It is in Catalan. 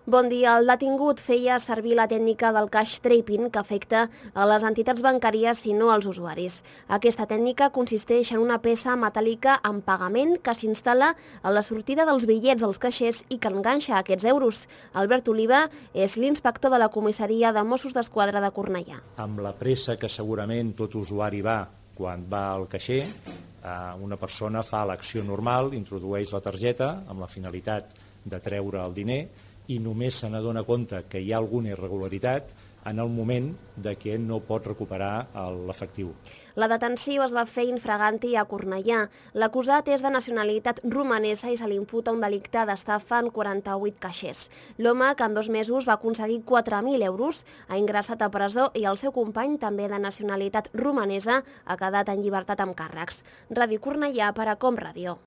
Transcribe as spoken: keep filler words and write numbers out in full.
Bon dia. El detingut feia servir la tècnica del cash trapping que afecta a les entitats bancàries i no als usuaris. Aquesta tècnica consisteix en una peça metàl·lica amb pagament que s'instal·la a la sortida dels bitllets als caixers i que enganxa aquests euros. Albert Oliva és l'inspector de la comissaria de Mossos d'Esquadra de Cornellà. Amb la pressa que segurament tot usuari va quan va al caixer, una persona fa l'acció normal, introdueix la targeta amb la finalitat de treure el diner i només se n'adona compte que hi ha alguna irregularitat en el moment de que no pot recuperar l'efectiu. La detenció es va fer infraganti a Cornellà. L'acusat és de nacionalitat romanesa i se li imputa un delicte d'estafa en quaranta-vuit caixers. L'home, que en dos mesos va aconseguir quatre mil euros, ha ingressat a presó i el seu company, també de nacionalitat romanesa, ha quedat en llibertat amb càrrecs. Ràdio Cornellà per a Com Ràdio.